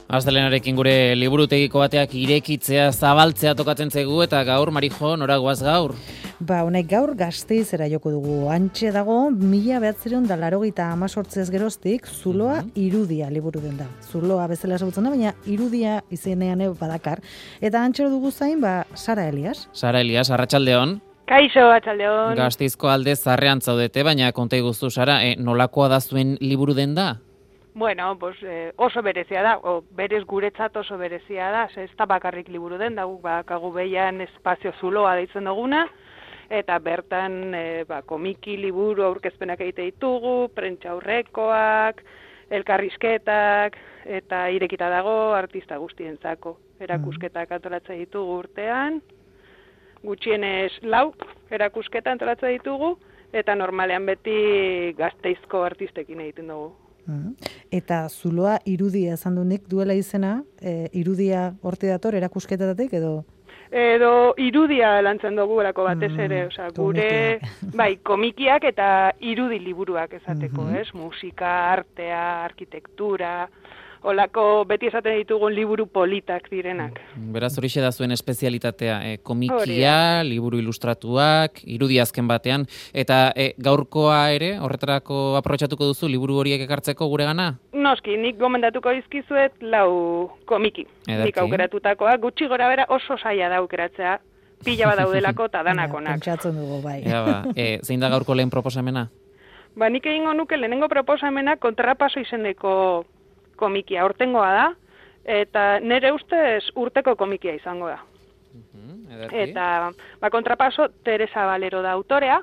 Astelehenarekin gure liburutegiko bateak irekitzea, zabaltzea tokatzen zaigu eta gaur, Marijo, nora goaz gaur? Honek gaur Gasteizera joko dugu. Hantxe dago, 1988 geroztik, Zuloa Irudia liburu den da. Zuloa bezala esagutzen da, baina Irudia izenean badakar. Eta hantxe dugu zain, Sara Elias. Sara Elias, arratsaldeon. Kaixo, arratsaldeon. Gasteizko alde zarrean zaudete, baina konta iguzu, Sara, nolakoa da zuen liburu den da? Bueno, oso berezia da, berez guretzat oso berezia da, ez da bakarrik liburu den, da guk bakagu behian espazio Zuloa deitzen duguna, eta bertan komiki liburu aurkezpenak egite ditugu, prentsa aurrekoak, elkarrizketak, eta irekita dago artista guztientzako. Erakusketak antolatzen ditugu urtean, gutxienez 4 erakusketa antolatzen ditugu, eta normalean beti Gasteizko artistekin egiten dugu. Eta Zuloa Irudia esan duenik duela izena, Irudia horte dator erakusketatik edo? Edo Irudia lantzen dugu erako batez ere, gure komikiak eta irudi liburuak esateko, ez? Musika, artea, arkitektura, olako beti esaten ditugun liburu politak direnak. Beraz horixe da zuen espezialitatea, komikia, liburu ilustratuak, irudi azken batean, eta gaurkoa ere, horretarako aprobetxatuko duzu liburu horiek ekartzeko guregana? Noski, nik gomendatuko dizkizuet 4 komiki. Nik aukeratutakoa, gutxi gora bera oso zaila da aukeratzea, pila bat daudelako eta danakonak. Pentsatzen dugu, bai. Zein da gaurko lehen proposamena? Nik egingo nuke lehenengo proposamena kontrapaso izeneko komikia, hortengoa da, eta nire ustez urteko komikia izango da. Eta kontrapaso Teresa Valero da autorea,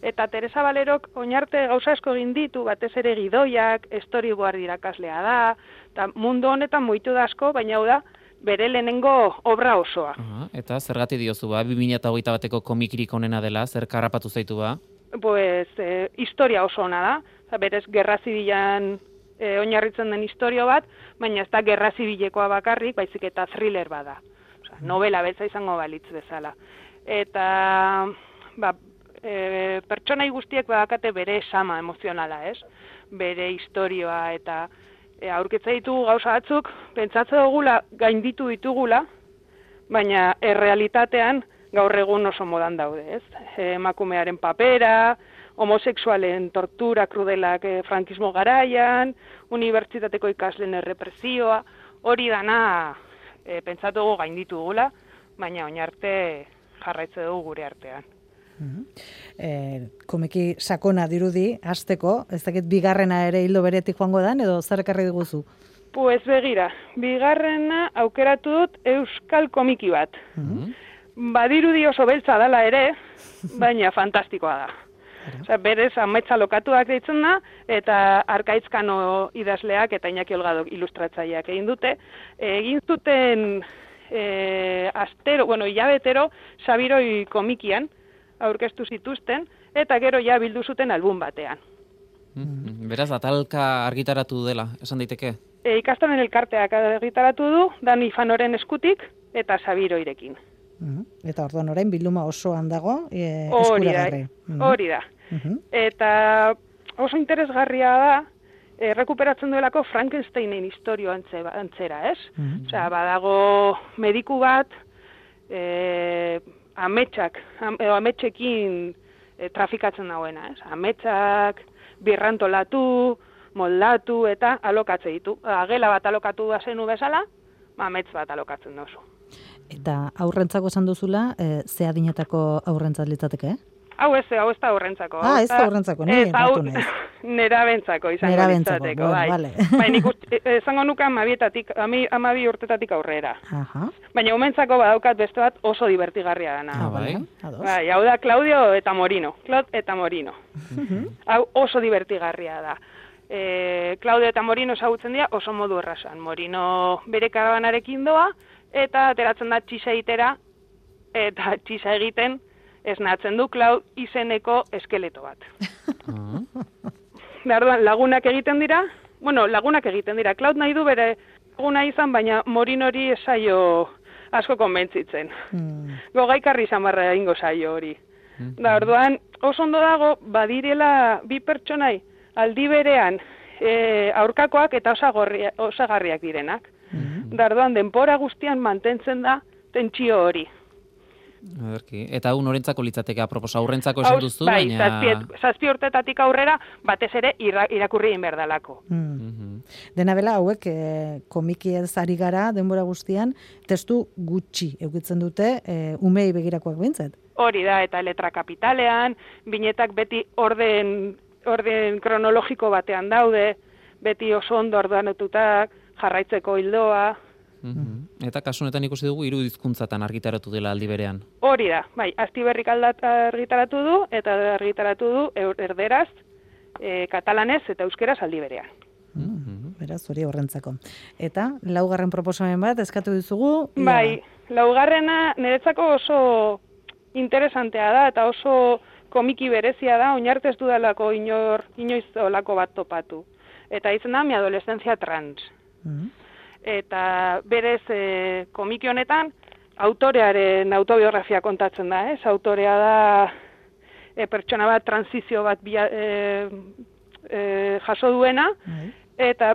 eta Teresa Valerok oinarte gauza asko egin ditu, batez ere gidoiak, storyboard irakaslea da, eta mundu honetan muitu da asko, baina hau da, bere lehenengo obra osoa. Eta zergati diozu 2021 bateko komikirik onena dela, zer karrapatu zaitu ba? Historia oso ona da, berez gerra zibilan oinarritzen den historio bat, baina ez da gerra zibilekoa bakarrik, baizik eta thriller bada. Novela beltza izango balitz bezala. Eta pertsonai guztiek badakate bere esama emozionala, ez? Bere historioa eta aurkitza ditugu gauza batzuk, pentsatze dugula gainditu ditugula, baina errealitatean gaur egun oso modan daude, ez? Emakumearen papera, homosexualen tortura krudelak frankismo garaian, unibertsitateko ikasleen errepresioa, hori dana pentsatu dugu gainditu dugula, baina oinarte jarraitze dugu gure artean. Komiki sakona dirudi, hasteko, ez dakit bigarrena ere hildo beretik joango dan, edo zer ekarri diguzu? Begira, bigarrena aukeratu dut euskal komiki bat. Badirudi oso beltza dela ere, baina fantastikoa da. Berez, Ametsa Lokatuak deitzen da, eta Arkaitzkano idazleak eta Iñaki Olgadok ilustratzaileak egin dute. Egin zuten hilabetero Sabiroi komikian aurkeztu zituzten, eta gero ja bildu zuten album batean. Beraz, atalka argitaratu dela, esan daiteke? Ikastolen elkarteak argitaratu du, Dani Fanoren eskutik eta Sabiroirekin. Eta orduan orain bilduma osoan dago eskuragarri. Hori da. Eta oso interesgarria da, rekuperatzen duelako Frankensteinen historio antzera, ez? Badago mediku bat, ametsekin trafikatzen dagoena, ez? Ametsak birrantolatu, moldatu eta alokatze ditu. Gela bat alokatu da zenu bezala, amets bat alokatzen dozu. Eta aurrentzako esan duzula, ze adinetako aurrentzat litzateke? Hau ez da aurrentzako. Ez da aurrentzako, nire entratu nahiz. Nerabentzako izango litzateko, bai. Baina izango nuke 12 urtetatik aurrera. Baina umentzako badaukat beste bat oso divertigarria dana. Bai, hau da Claudio eta Morino. Claude eta Morino. Hau oso divertigarria da. Claudio eta Morino ezagutzen dira oso modu errazan. Morino bere karabanarekin doa, eta ateratzen da txisa egitera, eta txisa egiten esnatzen du Claude izeneko eskeleto bat. Lagunak egiten dira, Claude nahi du bere laguna izan, baina Morinori esaio asko konbentzitzen. Gogaikarri izan barra egingo saio hori. Orduan, oso ondo dago, badirela bi pertsonai aldi berean aurkakoak eta osagarriak direnak. Dardoan denbora guztian mantentzen da tentsio hori. Eta hau norentzako litzateke aproposa, aurrentzako esan duzu, bai, baina... zazpi urtetatik aurrera, batez ere irakurri egin behar dalako. Dena bela, hauek komiki ez ari gara denbora guztian, testu gutxi eukitzen dute umei begirakoak bintzat. Hori da, eta letra kapitalean, binetak beti orden kronologiko batean daude, beti oso ondo ordenatutak, jarraitzeko hildoa. Eta kasu honetan ikusi dugu hiru hizkuntzatan argitaratu dela aldi berean. Hori da, bai, Astiberrik argitaratu du, eta argitaratu du erderaz, katalanez eta euskeraz aldi berean. Beraz, hori horrentzako. Eta, laugarren proposamen bat, eskatu dizugu? Bai, laugarrena niretzako oso interesantea da, eta oso komiki berezia da, oinarte ez dudalako inoiz olako bat topatu. Eta izan da, mi adolescencia trans. Eta berez komiki honetan autorearen autobiografia kontatzen da, ez? Autorea da pertsona bat transizio bat jaso duena, eta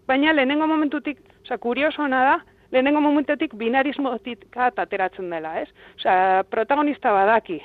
baina lehenengo momentutik, kuriosona da, lehenengo momentutik binarismotik ateratzen dela, ez? Protagonista badaki,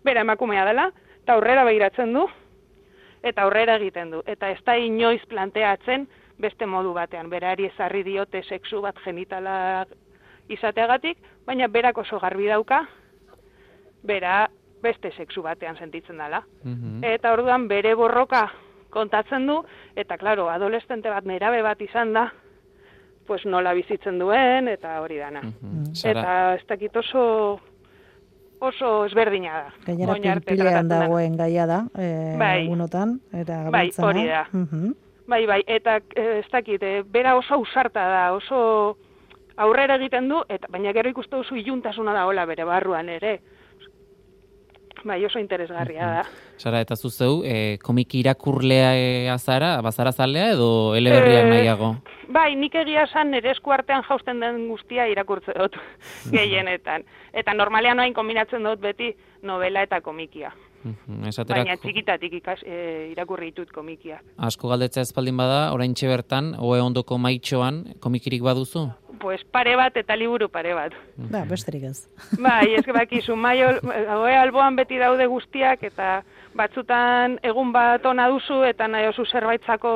bera emakumea dela, eta aurrera begiratzen du, eta aurrera egiten du, eta ez da inoiz planteatzen beste modu batean, berari ezarri diote sexu bat genitala izateagatik, baina berak oso garbi dauka, bera beste sexu batean sentitzen dela. Eta orduan bere borroka kontatzen du, eta klaro, adolescente bat nerabe bat izan da, pues nola bizitzen duen, eta hori dana. Eta ez dakit oso ezberdina da. Gainera pilpilean dagoen gaia da, egunotan, eta gabiltzana. Bai, hori da. Bai, eta ez dakit, bera oso ausarta da, oso aurrera egiten du, baina gero ikuste duzu iluntasuna da hola bere barruan ere. Bai, oso interesgarria da. Sara, eta zuzeu, komiki irakurlea azara, bazara zalea edo eleberriak nahiago? Bai, nik egia esan nire esku artean jausten den guztia irakurtze dut gehienetan. Eta normalean noain kombinatzen dut beti novela eta komikia. Baina txikitatik irakurri ditut komikia. Asko galdetzea espaldin bada, oraintxe bertan, oe ondoko maitxoan, komikirik baduzu? Pues pare bat eta liburu pare bat. Ba, besterik ez. Bai, ez bakizu, oe alboan beti daude guztiak, eta batzutan egun bat ona duzu, eta nahi oso zerbaitzako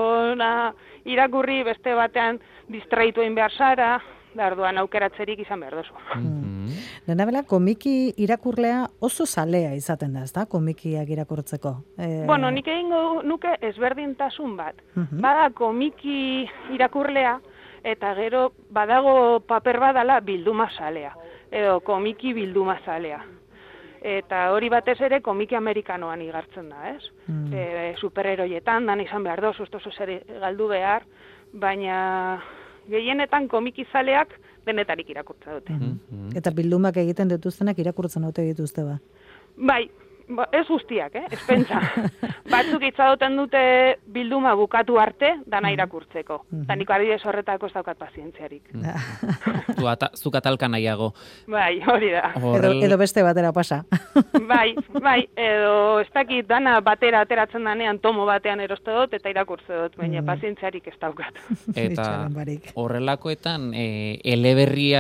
irakurri, beste batean distraitu egin behar zara, orduan aukeratzerik izan behar duzu. Dena bela, komiki irakurlea oso zalea izaten da, ezta, komikiak irakurtzeko? Bueno, nik egingo nuke ezberdintasun bat. Bada komiki irakurlea, eta gero badago paper badala bilduma zalea, edo komiki bilduma zalea. Eta hori batez ere komiki amerikanoan igartzen da, ez? Superheroietan, dan izan behar dozu, oso zer galdu behar, baina gehienetan komikizaleak denetarik irakurtza dute. Eta bildumak egiten dituztenak irakurtzen dute dituzte ba? Bai, ez guztiak, ez pentsa. Batzuk itxadoten dute bilduma bukatu arte, dana irakurtzeko. Eta niko adibidez horretako ez daukat pazientziarik. Zuk atalka nahiago. Bai, hori da. Edo beste batera pasa. Bai, edo ez dakit dana batera ateratzen danean tomo batean eroste dut eta irakurtze dut, baina pazientziarik ez daukat. Eta horrelakoetan, eleberri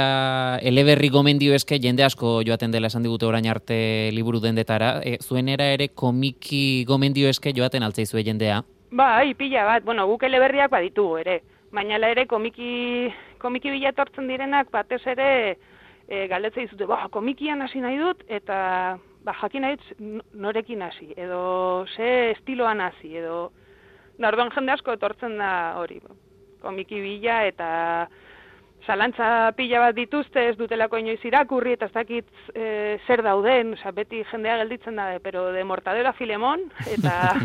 gomendio eske jende asko joaten dela esan digute orain arte liburu dendetara, zuenera ere komiki gomendio eske joaten altzaizue jendea? Bai, pila bat, guk eleberriak baditugu ere, baina ere komiki bilatortzen direnak batez ere galdetzea dizute, komikian hasi nahi dut, eta jakin nahi dut norekin hasi, edo ze estiloan hasi, edo orduan jende asko etortzen da hori, komiki bila eta zalantza pila bat dituzte, ez dutelako inoiz irakurri, eta ez dakit zer dauden, beti jendea gelditzen da, pero de Mortadelo a Filemón, eta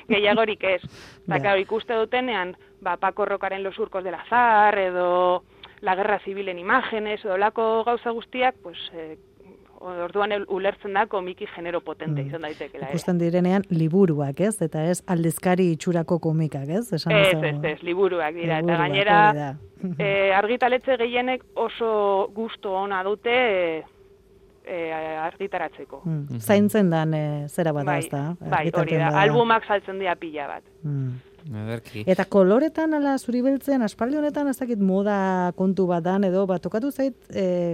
gehiagorik ez. Eta ikuste dutenean, Paco Rocaren Los surcos del azar, edo La guerra civil en imágenes, edo lako gauza guztiak, pues, orduan ulertzen da komiki genero potente izan daitekela. Ikusten direnean liburuak, ez? Eta ez aldizkari itxurako komikak, ez? Ez, liburuak dira. Eta gainera, argitaletxe gehienek oso gustu ona dute argitaratzeko. Zaintzen dan zera bat da, ez da? Bai, hori da. Albumak saltzen dira pila bat. Ederki. Eta koloretan, ala zuri beltzen, aspaldi honetan, ez dakit moda kontu bat dan, edo tokatu zait,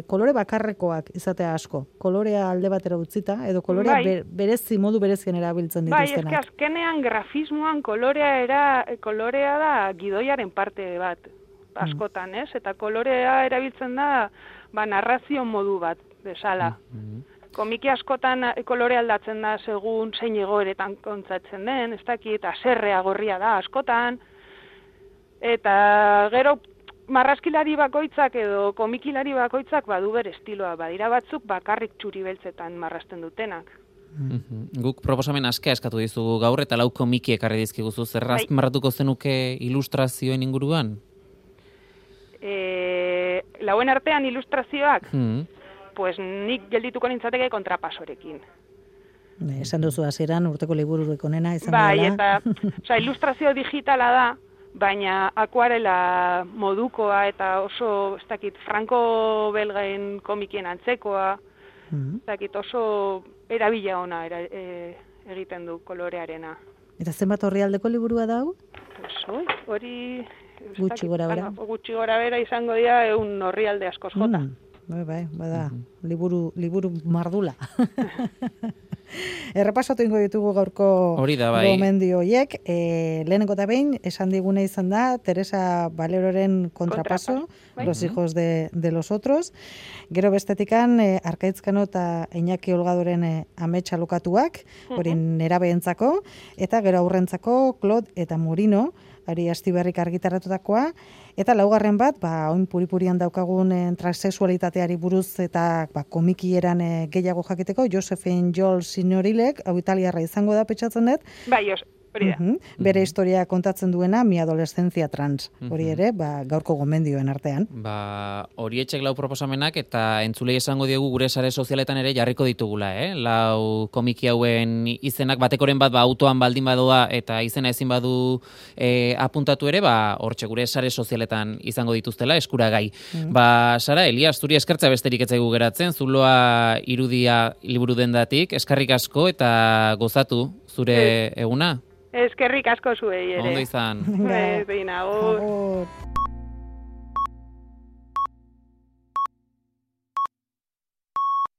kolore bakarrekoak izatea asko. Kolorea alde batera utzita, edo kolorea berezi, modu berezien erabiltzen dituztenak. Bai, azkenean grafismoan kolorea da gidoiaren parte bat, askotan, ez? Eta kolorea erabiltzen da, narrazio modu bat, bezala. Komiki askotan kolore aldatzen da segun zein egoeretan kontzatzen den, ez dakit, haserrea gorria da askotan, eta gero marrazkilari bakoitzak edo komikilari bakoitzak badu bere estiloa, badira batzuk bakarrik txuri beltzetan marrazten dutenak. Guk proposamen askea eskatu dizugu gaur eta 4 komiki ekarri dizkiguzu, zer azpimarratuko zenuke ilustrazioen inguruan? Lauen artean ilustrazioak? Pues nik geldituko nintzateke kontrapasorekin. Esan duzu hasieran urteko libururik onena izango dela. Bai, eta ilustrazio digitala da, baina akuarela modukoa eta oso, ez dakit, Franco Belgaen komikien antzekoa, ez dakit, oso erabila ona egiten du kolorearena. Eta zenbat orrialdeko liburua da hau? Hori... Gutxi gora bera. Gutxi gora bera izango dira 100 orrialde askoz jota. Bai, bada, liburu mardula. Errepasatu ingo ditugu gaurko gomendio horiek. Lehenengo eta behin, esan digune izan da, Teresa Valeroren Contrapaso, Los hijos de los otros. Gero bestetikan, Arkaitzkano eta Iñaki Olgadoren ametsa lokatuak, hori nerabeentzako, eta gero aurrentzako, Claude eta Morino, Ari Astiberrik argitaratutakoa, eta laugarren bat, oin puripurian daukagun transexualitateari buruz eta komikieran gehiago jakiteko, Josephine Joel Signorilek, hau italiarra izango da petxatzen dut. Bai, hori da. Bere historia kontatzen duena, mi adolescencia trans. Hori ere, gaurko gomendioen artean. Horietxek 4 proposamenak eta entzulei esango diegu gure sare sozialetan ere jarriko ditugula, 4 komiki hauen izenak batekoren bat autoan baldin badoa eta izena ezin badu apuntatu ere, hortxe gure sare sozialetan izango dituztela eskuragai. Sara, Elias, zuri eskertza besterik ez zaigu geratzen, zuloa irudia liburu dendatik, eskarrik asko eta gozatu zure eguna. Eskerrik asko zuei ere. Ondo izan. Behin, agur.